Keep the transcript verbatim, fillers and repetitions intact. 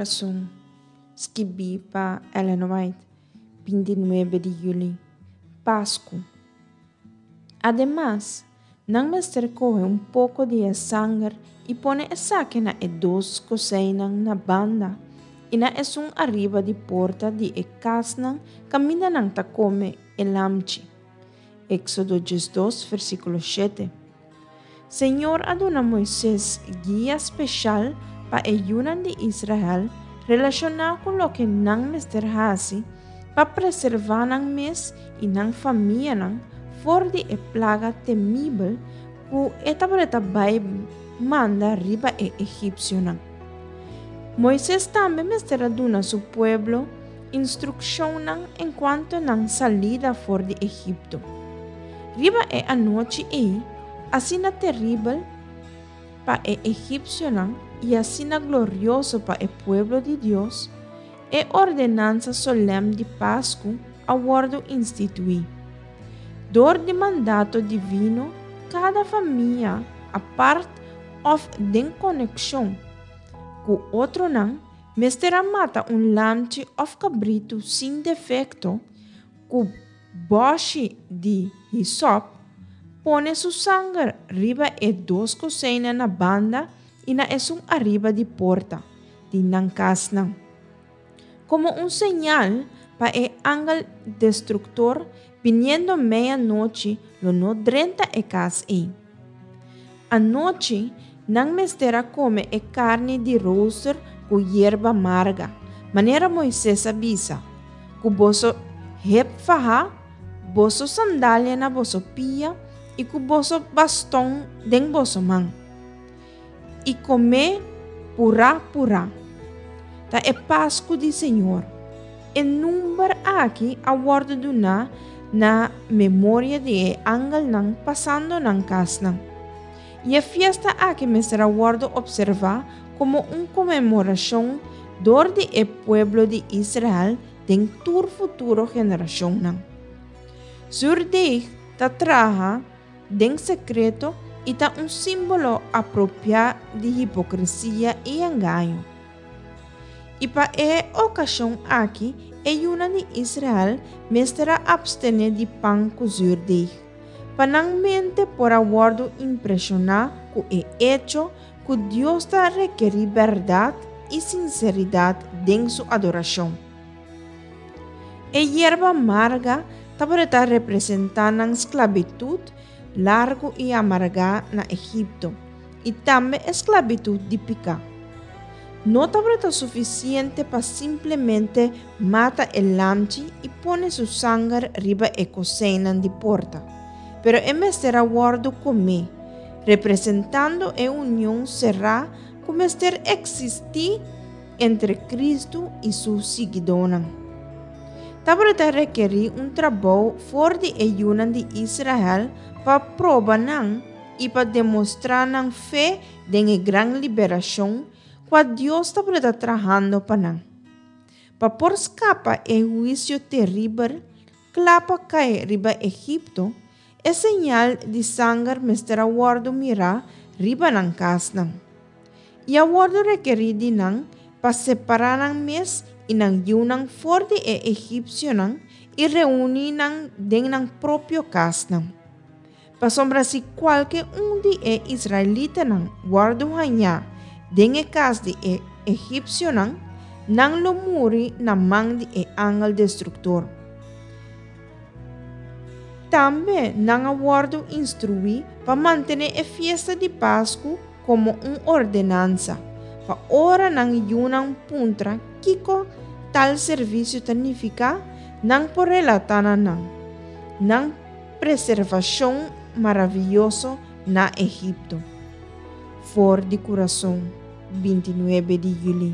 Kurason, skibí pa Ellen White, binti nuebe di yüli, Pasku. Ademas, nan mester kohe un poko di e sanger i pone esaki na e dos kozijnnan na banda i na esun ariba di porta di e kasnan kaminda nan ta kome e lamchi. Éksodo diesdos, versíkulo shete. Señor a duna Moises guia speshal pa e yunan di Israel relashoná ku loke nan mester hasi pa preservá nan mes i nan famianan for di e plaga temibel ku e tabata bai manda riba e egipsionan. Moises tambe mester a duna su pueblo instrukshonnan enkuanto nan salida for di Egipto. Riba e anochi ei, asina teribel pa e egipsionan i asina glorioso pa e pueblo di Dios, e ordenansa solèm di Pasku a wòrdu instituí. Dor di mandato divino, kada famia, apart òf den konekshon ku otronan, mester a mata un lamchi òf kabritu sin defekto ku bòshi di hisòp, pone su sanger riba e dos kozijnnan na banda i na esun ariba di porta di nan kasnan, komo un señal pa e angel destruktor biniendo meianochi lo no drenta e kas ei. Anochi nan mester a kome e karni di rooster ku yerba marga, manera Moises a bisa, ku boso hep fahá, boso sandalia na boso pia i ku boso baston den boso man. I kom'é purá purá. Ta e Pasku di Señor. E number aki a wòrdu duná na memoria di e angelnan pasando nan kasnan. I e fiesta aki mester a wòrdu opservá komo un konmemorashon dor di e pueblo di Israel den tur futuro generashonnan. Zuurdeeg ta traha den sekreto i ta un símbolo apropiá di hipokresia i engaño. I pa e okashon aki e yunan di Israel mester a apstené di pan ku zuurdeeg, pa nan mente por a wòrdu impreshoná ku e echo ku Dios ta rekerí bèrdat i sinseridat den su adorashon. E yerba marga tabata representá nan sklabitut largu i amargá na Egipto, i tambe esklabitut di piká. No tabata sufisiente pa simplemente mata e lamchi i pone su sanger riba e kozijnnan di porta, pero e mester a wòrdu komé, representando e union será ku mester eksistí entre Kristu i su siguidónan. Tabata rekerí un trabou for di e yunan di Israel pa proba nan i pa demostrá nan fe den e gran liberashon ku Dios tabata trahando pa nan. Pa por skapa e huisio teribel kla pa kai riba Egipto, e señal di sanger mester a wòrdu mirá riba nan kasnan. I a wòrdu rekerí di nan pa separá nan mes i nan yunan for di e egipsionan i reuní nan den nan propio kasnan. Pasobra si kualke un di e israelitanan wòrdu hañá den e kas di e egipsionan, nan lo muri na man di e angel destruktor. Tambe nan a wòrdu instruí pa mantené e fiesta di Pasku komo un ordenansa, pa ora nan yunan puntra kiko tal servisio ta nifiká, nan por relatá na nan nan preservashon maravioso na Egipto. For di Kurason, binti nuebe di yüli.